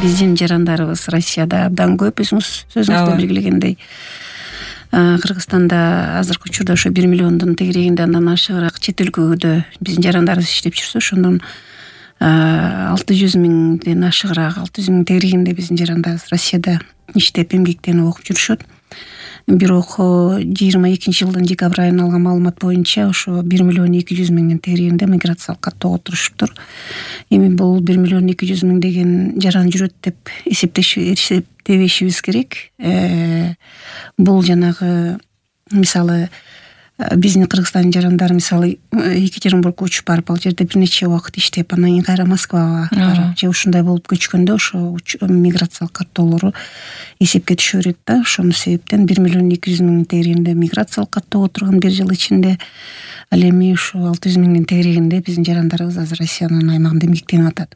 Биздин жарандарыбыз Россияда абдан көп, сөзүңүздө белгилегендей. Кыргызстанда азыркы учурда ошо 1 миллиондун тегерегинде андан ашыгыраак чет өлкөдө биздин жарандарыбыз иштеп жүрсө, ошондон 600 миңден ашыгыраак, 600 миң тегерегинде биздин жарандарыбыз Россияда иштеп, эмгектенип окуп жүрүшөт. Бирок 22-жылдын декабрь айына алган маалымат боюнча ошо 1 миллион 200 миңдин тегерегинде миграциялык каттоого турушуптур. Эми бул 1 миллион 200 миң деген жаран жүрөт деп эсептебешибиз керек. Бул жанагы мисалы биздин Кыргызстандын жарандары мисалы Екатеринбургко учуп барып, ал жерде бир нече убакыт иштеп, анан кийин кайра Москвага барып же ушундай болуп көчкөндө ошо миграциялык каттоолору эсепке түшө берет да. Ошонун себептен 1 миллион 200 миң тегерегинде миграциялык каттоого турган бир жыл ичинде, ал эми ушу 600 миңдин тегерегинде биздин жарандарыбыз азыр Россиянын аймагында эмгектенип атат.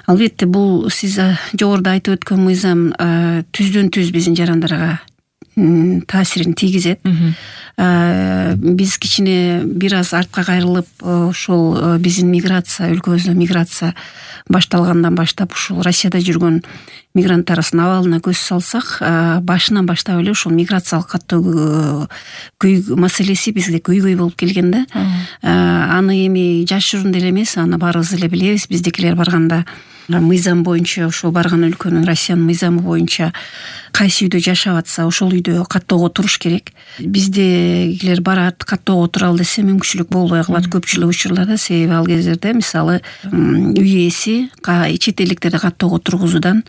Албетте бул сиз жогоруда айтып өткөн мыйзам түздөн түз биздин жарандарга таасирин тийгизет. Биз кичине бир аз артка кайрылып, ошол биздин миграция, өлкөбүздө миграция башталгандан баштап ушул Россияда жүргөн мигранттарыбыздын абалына көз салсак, башынан баштап эле ушул миграциялык каттоо маселеси бизде көйгөй болуп келген да. Аны эми жашыруун деле эмес, аны баарыбыз эле билебиз. Биздикилер барганда мыйзам боюнча, ошол барган өлкөнүн, Россиянын мыйзамы боюнча кайсы үйдө жашап атса, ошол үйдө каттоого туруш керек. Биздегилер барат, каттоого туралы десе мүмкүнчүлүк болбой калат көпчүлүк учурларда. Себеби ал кездерде мисалы үй ээси чет элдиктерди каттоого тургузуудан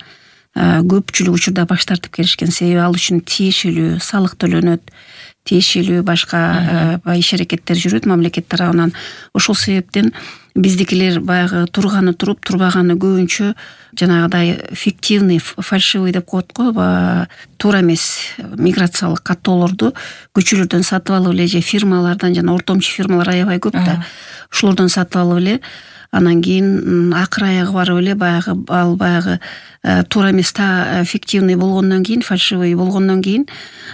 көпчүлүк учурда баш тартып келишкен. Себеби ал үчүн тиешелүү салык төлөнөт, тиешелүү башка иш аракеттер жүрөт мамлекет тарабынан. Ошол себептен биздикилер баягы турганы туруп, турбаганы көбүнчө жанагыдай фиктивный, фальшивый деп коет го, туура эмес миграциялык каттоолорду көчөлөрдөн сатып алып эле же фирмалардан, жана ортомчу фирмалар аябай көп да. Ошолордон сатып алып эле, анан кийин акыр аягы барып эле баягы туура эмес фиктивный болгондон кийин, фальшивый болгондон кийин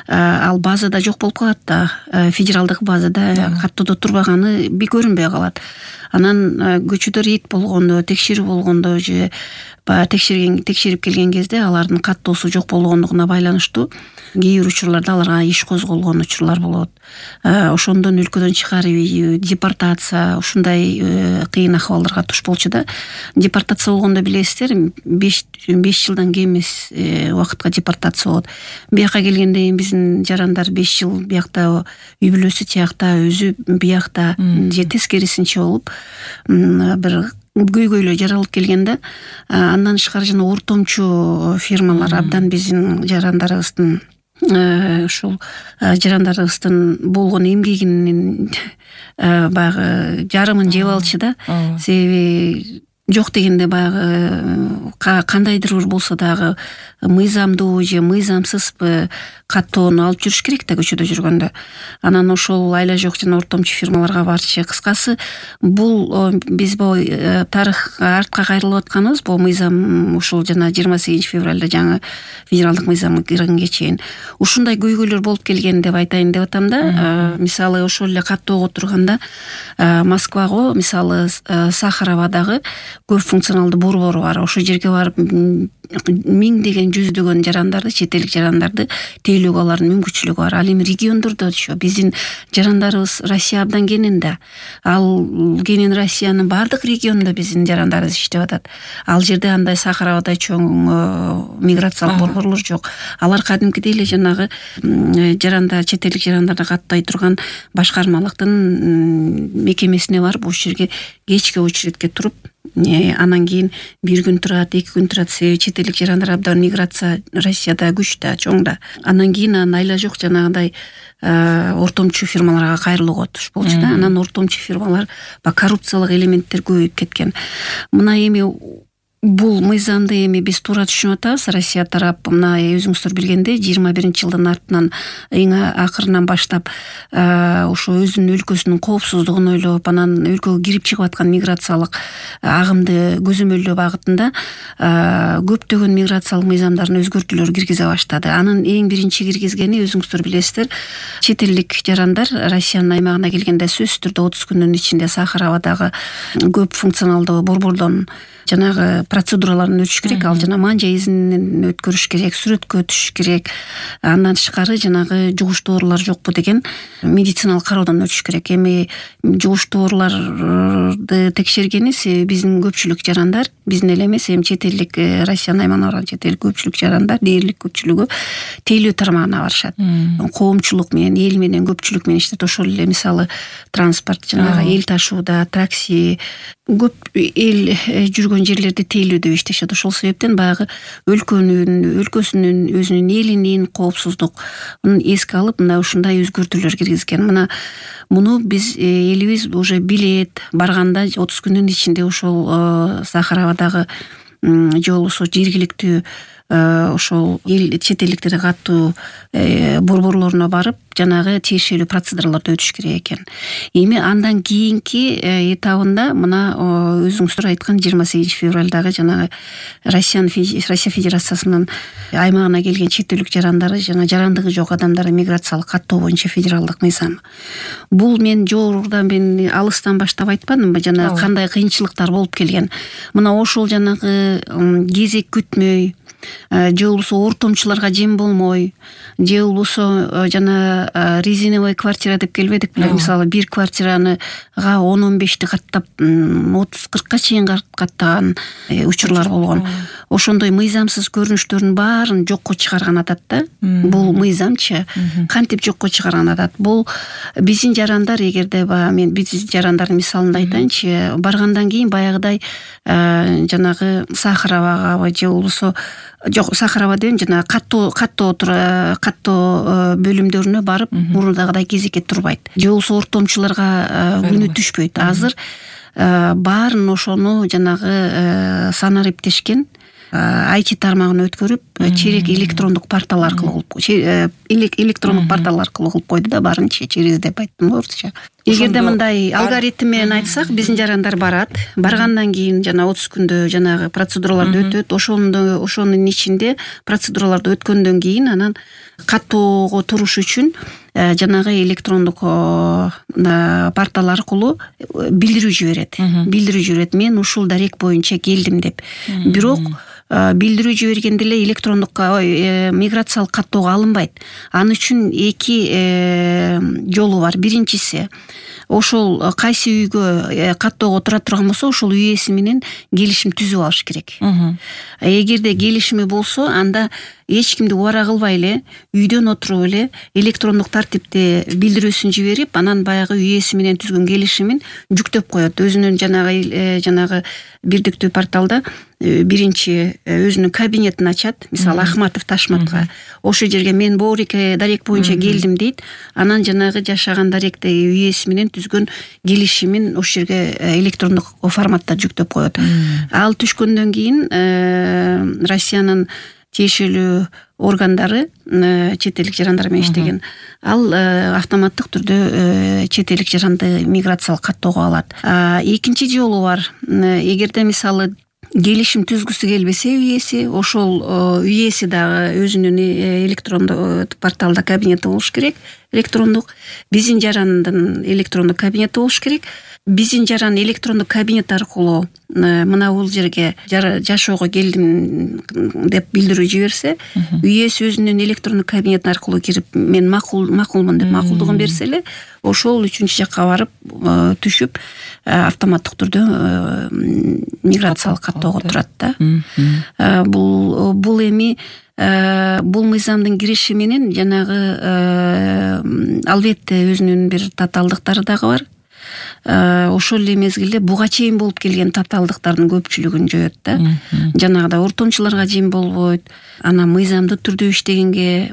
ал базада жок болуп калат да. Федералдык базада каттоодо турбаганы көрүнбөй калат. Анан көчөдө рейд болгондо, текшерүү болгондо же текшерип келген кезде алардын каттоосу жок болгондугуна байланыштуу кээ бир учурларда аларга иш козголгон учурлар болот. Ошондон өлкөдөн чыгарып, депортация, ушундай кыйын акыбалдарга туш болчу да. Депортация болгондо билесиздер, 5 жылдан кем эмес убакытка депортация болот. Бияка келгенде биздин жарандар 5 жыл биякта үй бүлөсү тиякта, өзү биякта же тескерисинче болуп бир көйгөйлөр жаралып келгенде, андан тышкары жана ортомчу фирмалар абдан биздин жарандарыбыздын ушул жарандарыбыздын болгон эмгегинин баягы жарымын жеп алчу да. Себеби жок дегенде баягы кандайдыр бир болсо дагы мыйзамдуу же мыйзамсызбы каттоону алып жүрүш керек да көчөдө жүргөндө. Анан ошол айла жок жана ортомчу фирмаларга барчу. Кыскасы, бул биз тарыхка артка кайрылып атканыбыз, бул мыйзам ушул жана 28 февралда жаңы федералдык мыйзам киргенге чейин ушундай көйгөйлөр болуп келген деп айтайын деп атам да. Мисалы ошол эле каттоого турганда Москвага, мисалы Сахаровадагы көп функционалдуу борбору бар. Ошол жерге барып миңдеген, жүздөгөн жарандарды, чет элдик жарандарды тейлөөгө алардын мүмкүнчүлүгү бар. Ал эми региондордо биздин жарандарыбыз Россия абдан кенен да. Ал кенен Россиянын бардык регионунда биздин жарандарыбыз иштеп атат. Ал жерде андай Сахаровадай чоң миграциялык борборлор жок. Алар кадимкидей эле жанагы жарандар, чет элдик жарандарды каттай турган башкармалыктын мекемесине барып, ошол жерге кечки очередке туруп, анан кийин 1 күн турат, 2 күн турат. Себеби чет элдик жарандар абдан миграция Россияда күч да, чоң да. Анан кийин айла жок жанагындай ортомчу фирмаларга кайрылууга туш болчу да. Анан ортомчу фирмалар коррупциялык элементтер көбөйүп кеткен. Мына эми бул мыйзамды эми биз туура түшүнүп атабыз. Россия тарап мына өзүңүздөр билгендей 21-жылдын артынан эң акырынан баштап ошо өзүнүн өлкөсүнүн коопсуздугун ойлоп, анан өлкөгө кирип чыгып аткан миграциялык агымды көзөмөлдөө багытында көптөгөн миграциялык мыйзамдардын өзгөртүүлөрү киргизе баштады. Анын эң биринчи киргизгени, өзүңүздөр билесиздер, чет элдик жарандар Россиянын аймагына келгенде сөзсүз түрдө 30 күндүн ичинде Сахаровадагы көп функционалдуу борбордон жанагы процедураларын өтүш керек. Ал жана манжа изинен өткөрүш керек, сүрөткө түшүш керек. Андан тышкары жанагы жугуштуу оорулар жокпу деген медициналык кароодон өтүш керек. Эми жугуштуу ооруларды текшергени себеби биздин көпчүлүк жарандар, биздин эле эмес, эми чет элдик Россиянын аймагына барган чет элдик көпчүлүк жарандар, дээрлик көпчүлүгү тейлөө тармагына барышат. Коомчулук менен, эл менен, көпчүлүк менен иштейт. Ошол эле мисалы транспорт, жанагы эл ташууда, такси, көп эл жүргөн жерлерде тейлөөдө иштешет. Ошол себептен баягы өлкөсүнүн, өзүнүн элинин коопсуздугун эске алып, мына ушундай өзгөртүүлөр киргизген. Муну биз элибиз уже билет. Барганда 30 күндүн ичинде ошол Сахаравадагы же болбосо жергиликтүү ошол эл чет элдиктерге каттуу борборлоруна барып, жанагы тиешелүү процедураларды өтүш керек экен. Эми андан кийинки этабында мына өзүңүздөр айткан 28 февралдагы жанагы Россия Федерациясынын аймагына келген чет элдик жарандары, жана жарандыгы жок адамдарды миграциялык каттоо боюнча федералдык мыйзам. Бул мен жогорудан алыстан баштап айтпадымбы, жана кандай кыйынчылыктар болуп келген. Мына ошол жанагы кезек күтмөй, же болбосо ортомчуларга жем болмой, же болбосо жана резиновый квартира деп келбедик беле, мисалы бир квартираны 10-15ти каттап 30-40ка чейин каттаган учурлар болгон. Ошондой мыйзамсыз көрүнүштөрдүн баарын жокко чыгарган атат да. Бул мыйзамчы кантип жокко чыгарган атат? Бул биздин жарандар, эгерде мен биздин жарандардын мисалында айтайынчы, баргандан кийин баягыдай жанагы Сахаравага же болбосо жок, Сахарова деген жана каттоо бөлүмдөрүнө барып мурдагыдай кезекке турбайт. Же болбосо ортомчуларга күнү түшпөйт. Азыр баарын ошону жанагы санариптешкен IT тармагына өткөрүп, черек электрондук портал аркылуу электрондук портал аркылуу кылып койду да, баарынча через деп айттым орусча. Эгерде мындай алгоритм менен айтсак, биздин жарандар барат, баргандан кийин жана 30 күндө жанагы процедураларды өтөт. Ошонун ичинде процедураларды өткөндөн кийин анан каттоого туруш үчүн жанагы электрондук портал аркылуу билдирүү жиберет. Мен ушул дарек боюнча келдим деп. Бирок билдирүү жибергенде эле электрондук миграциялык каттоого алынбайт. Аны үчүн эки жолу бар. Биринчиси, ошол кайсы үйгө каттоого тура турган болсо, ошол үй ээси менен келишим түзүп алыш керек. Эгерде келишими болсо, анда эч кимди убара кылбай эле, үйдөн отуруп эле электрондук тартипте билдирүүсүн жиберип, анан баягы үй ээси менен түзгөн келишимин жүктөп коет. Өзүнүн жанагы бирдиктүү порталда биринчи өзүнүн кабинетин ачат, мисалы Ахматов Ташматка. Ошол жерге мен дарек боюнча келдим дейт. Анан жанагы жашаган даректе үй ээси менен түзгөн келишимин ошол жерге электрондук форматта жүктөп коет. Ал түшкөндөн кийин Россиянын тиешелүү органдары, чет элдик жарандар менен иштеген, ал автоматтык түрдө чет элдик жаранды миграциялык каттоого алат. Экинчи жолу бар. Эгерде мисалы келишим түзгүсү келбесе үй ээси, ошол үй ээси дагы өзүнүн электрондук порталда кабинети болуш керек, электрондук. Биздин жарандын электрондук кабинети болуш керек. Биздин жаран электрондук кабинет аркылуу мына бул жерге жашоого келдим деп билдирүү жиберсе, үй ээси өзүнүн электрондук кабинет аркылуу кирип, мен макулмун деп макулдугун берсе эле, ошол үчүнчү жакка барып түшүп автоматтык түрдө миграциялык каттоого турат да. Бул эми бул мыйзамдын кириши менен жанагы албетте өзүнүн бир татаалдыктары дагы бар. Ошол эле мезгилде буга чейин болуп келген татаалдыктардын көпчүлүгүн жоет да. Жанагыдай ортомчуларга жем болбойт. Анан мыйзамдуу түрдө иштегенге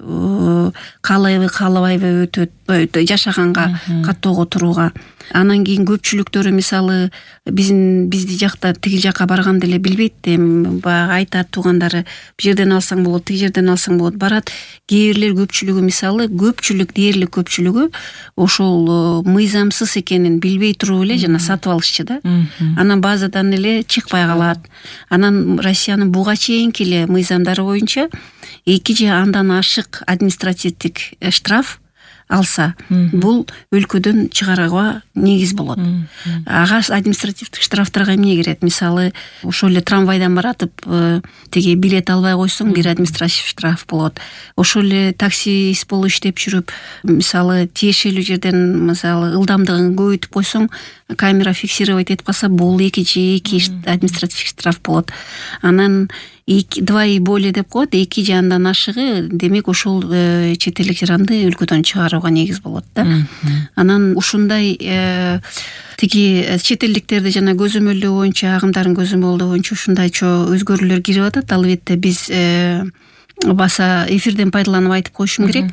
каалабайбы өтөт, жашаганга каттоого турууга. Анан кийин көпчүлүктөрү мисалы бизди жакта тиги жакка барганда эле билбейт, баягы айтат туугандары, бул жерден алсаң болот, тиги жерден алсаң болот, барат. Кээ бирлер көпчүлүгү мисалы дээрлик көпчүлүгү ошол мыйзамсыз экенин билбей туруп эле жана сатып алышчы да. Анан базадан эле чыкпай калат. Анан Россиянын буга чейинки эле мыйзамдары боюнча 2 же андан ашык административдик штраф алса, бул өлкөдөн чыгарууга негиз болот. Ага административдик штрафтарга эмне кирет? Мисалы, ошол эле трамвайдан баратып, тиги билет албай койсоң, бир административ штраф болот. Ошол эле таксист болуп иштеп жүрүп, мисалы, тиешелүү жерден, мисалы, ылдамдыгын көбөйтүп койсоң, камера фиксировать этип калса, бул 2 административ штраф болот. Анан 2 и более деп коет, 2 же андан ашыгы, демек ошол чет элдик жаранды өлкөдөн чыгарууга негиз болот да. Анан ушундай тиги чет элдиктерди жана көзөмөлдөө боюнча, агымдарын көзөмөлдөө боюнча ушундайчо өзгөрүүлөр кирип атат. Албетте биз баса эфирден пайдаланып айтып коюшум керек.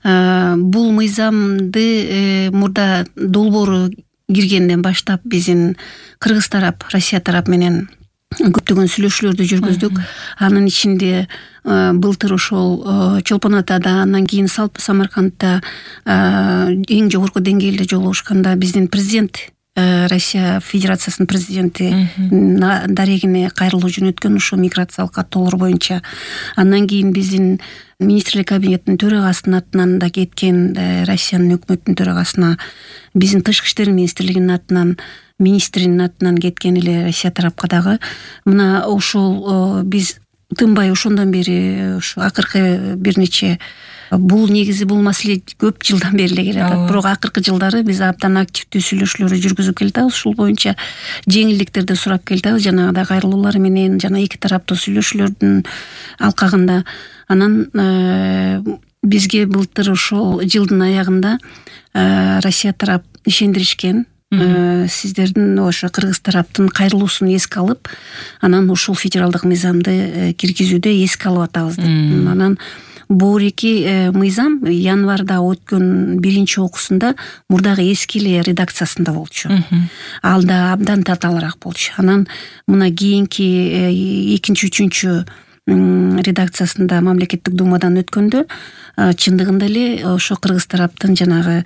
Бул мыйзамды мурда долбоору киргенден баштап биздин Кыргыз тарап, Россия тарап менен көптөгөн сүйлөшүүлөрдү жүргүздүк. Анын ичинде былтыр ошол Чолпон Атада, андан кийин Самаркандда эң жогорку деңгээлде жолугушканда биздин президент, Россия Федерациясынын президенти дарегине кайрылуу жөнөткөн ушул миграциялык каттоолор боюнча. Андан кийин биздин министрлер кабинетинин төрагасынын атынан да кеткен, Россиянын өкмөтүнүн төрагасына, биздин тышкы иштер министрлигинин атынан, министринин атынан кеткен эле Россия тарапка дагы. Мына ошол биз тынбай ошондон бери ушу акыркы бир нече бул негизи бул маселе көп жылдан бери эле келе атат. Бирок акыркы жылдары биз абдан активдүү сүйлөшүүлөрдү жүргүзүп келатабыз. Ушул боюнча жеңилдиктерди сурап келатабыз, жанагыдай кайрылуулар менен, жана эки тараптуу сүйлөшүүлөрдүн алкагында. Анан бизге былтыр ошол жылдын аягында Россия тарап ишендиришкен. Сиздердин ошо Кыргыз тараптын кайрылуусун эске алып, анан ушул федералдык мыйзамды киргизүүдө эске алып атабыз деп. Анан борики мыйзам январда өткөн биринчи окуусунда мурдагы эски эле редакциясында болчу. Ал да абдан татаалыраак болчу. Анан мына кийинки экинчи, үчүнчү редакциясында мамлекеттик думадан өткөндө чындыгында эле ошо Кыргыз тараптын жанагы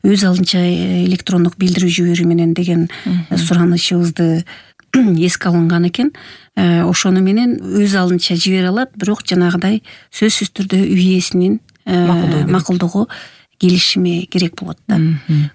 өз алдынча электрондук билдирүү жиберүү менен деген суранычыбызды эске алынган экен. Ошону менен өз алдынча жибере алат, бирок жанагыдай сөзсүз түрдө үй ээсинин макулдугу, келишими керек болот да.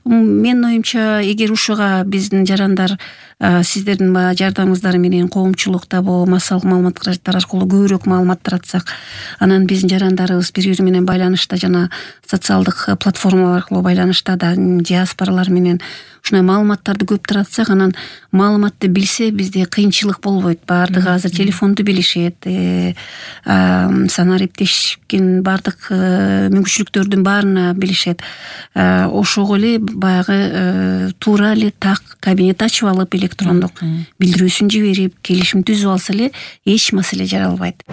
Менин оюмча, эгер ушуга биздин жарандар сиздердин жардамыңыздар менен коомчулукта бул массалык маалымат каражаттары аркылуу көбүрөөк маалымат таратсак, анан биздин жарандарыбыз бири-бири менен байланышта, жана социалдык платформалар аркылуу байланышта да диаспоралар менен ушундай маалыматтарды көп таратсак, анан маалыматты билсе бизде кыйынчылык болбойт. Баардыгы азыр телефонду билишет, санаа эптешкен баардык мүмкүнчүлүктөрдүн баарына билишет. Ошого эле баягы туура эле так кабинет ачып алып, электрондук билдирүүсүн жиберип, келишим түзүп алса эле эч маселе жаралбайт.